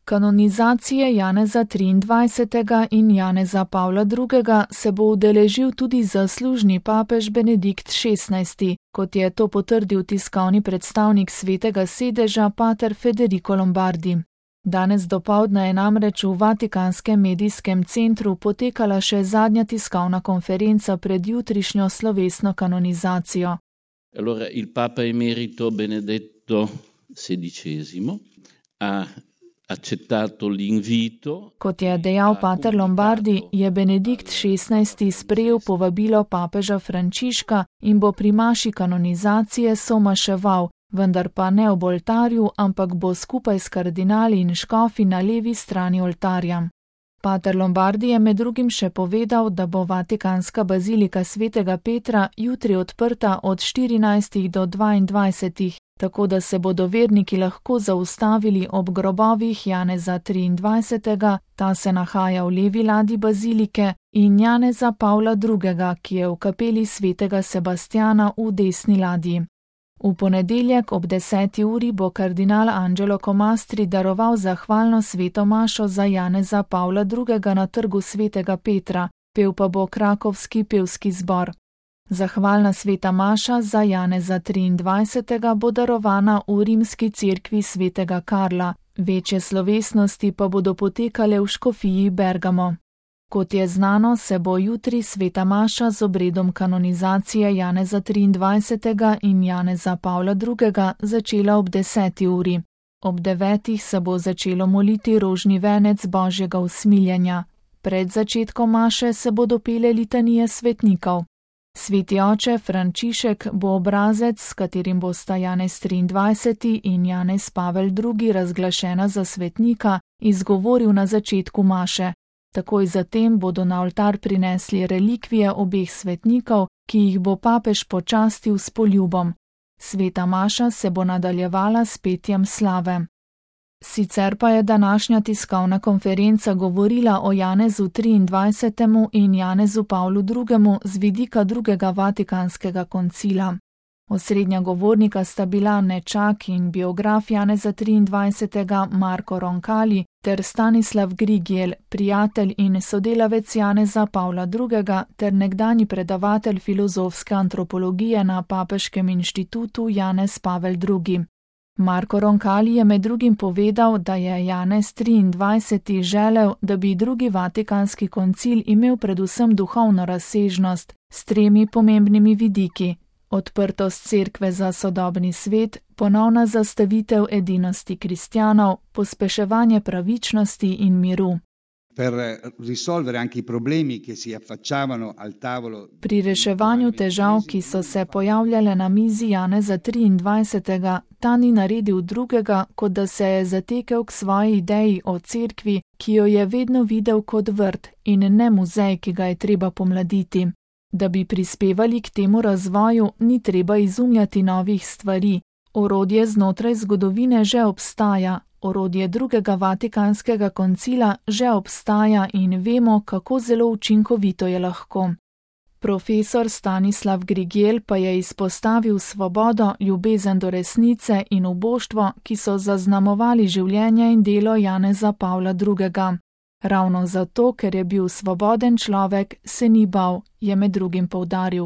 Kanonizacije Janeza 23. in Janeza Pavla II. Se bo udeležil tudi zaslužni papež Benedikt XVI., kot je to potrdil tiskovni predstavnik Svetega sedeža pater Federico Lombardi. Danes dopoldne je namreč v Vatikanskem medijskem centru potekala še zadnja tiskovna konferenca pred jutrišnjo slovesno kanonizacijo. Allora, il Papa emerito Benedetto XVI ha accettato l'invito. Kot je dejal pater Lombardi, je Benedikt XVI. Sprejel povabilo papeža Frančiška in bo pri maši kanonizacije somaševal, vendar pa ne ob oltarju, ampak bo skupaj s kardinali in škofi na levi strani oltarja. Pater Lombardi je med drugim še povedal, da bo Vatikanska bazilika Svetega Petra jutri odprta od 14 do 22, tako da se bodo verniki lahko zaustavili ob grobovih Janeza 23., ta se nahaja v levi ladji bazilike, in Janeza Pavla II., ki je v kapeli Svetega Sebastjana v desni ladji. V ponedeljek ob 10. uri bo kardinal Angelo Comastri daroval zahvalno sveto mašo za Janeza Pavla II. Na trgu Svetega Petra, pel pa bo krakovski pevski zbor. Zahvalna sveta maša za Janeza 23. bo darovana v rimski cerkvi Svetega Karla, večje slovesnosti pa bodo potekale v škofiji Bergamo. Kot je znano, se bo jutri sveta maša z obredom kanonizacije Janeza 23. in Janeza Pavla II. Začela ob 10. uri. Ob 9. se bo začelo moliti rožni venec Božjega usmiljenja. Pred začetkom maše se bodo pele litanije svetnikov. Sveti oče Frančišek bo obrazec, s katerim bosta Janez 23. in Janez Pavel II. Razglašena za svetnika, izgovoril na začetku maše. Takoj zatem bodo na oltar prinesli relikvije obeh svetnikov, ki jih bo papež počastil s poljubom. Sveta maša se bo nadaljevala s petjem slave. Sicer pa je današnja tiskovna konferenca govorila o Janezu 23. in Janezu Pavlu II. Z vidika drugega Vatikanskega koncila. Osrednja govornika sta bila nečak in biograf Janeza 23. Marko Roncalli ter Stanislav Grigel, prijatelj in sodelavec Janeza Pavla II. Ter nekdanji predavatelj filozofske antropologije na Papeškem inštitutu Janez Pavel II. Marko Roncalli je med drugim povedal, da je Janez 23. želel, da bi drugi Vatikanski koncil imel predvsem duhovno razsežnost s 3 pomembnimi vidiki: odprtost cerkve za sodobni svet, ponovna zastavitev edinosti kristjanov, pospeševanje pravičnosti in miru. Pri reševanju težav, ki so se pojavljale na mizi Janeza 23., ta ni naredil drugega, kot da se je zatekel k svoji ideji o cerkvi, ki jo je vedno videl kot vrt in ne muzej, ki ga je treba pomladiti. Da bi prispevali k temu razvoju, ni treba izumljati novih stvari. Orodje znotraj zgodovine že obstaja, orodje drugega Vatikanskega koncila že obstaja in vemo, kako zelo učinkovito je lahko. Profesor Stanislav Grigel pa je izpostavil svobodo, ljubezen do resnice in uboštvo, ki so zaznamovali življenje in delo Janeza Pavla II. Ravno zato, ker je bil svoboden človek, se ni bal, je med drugim poudaril.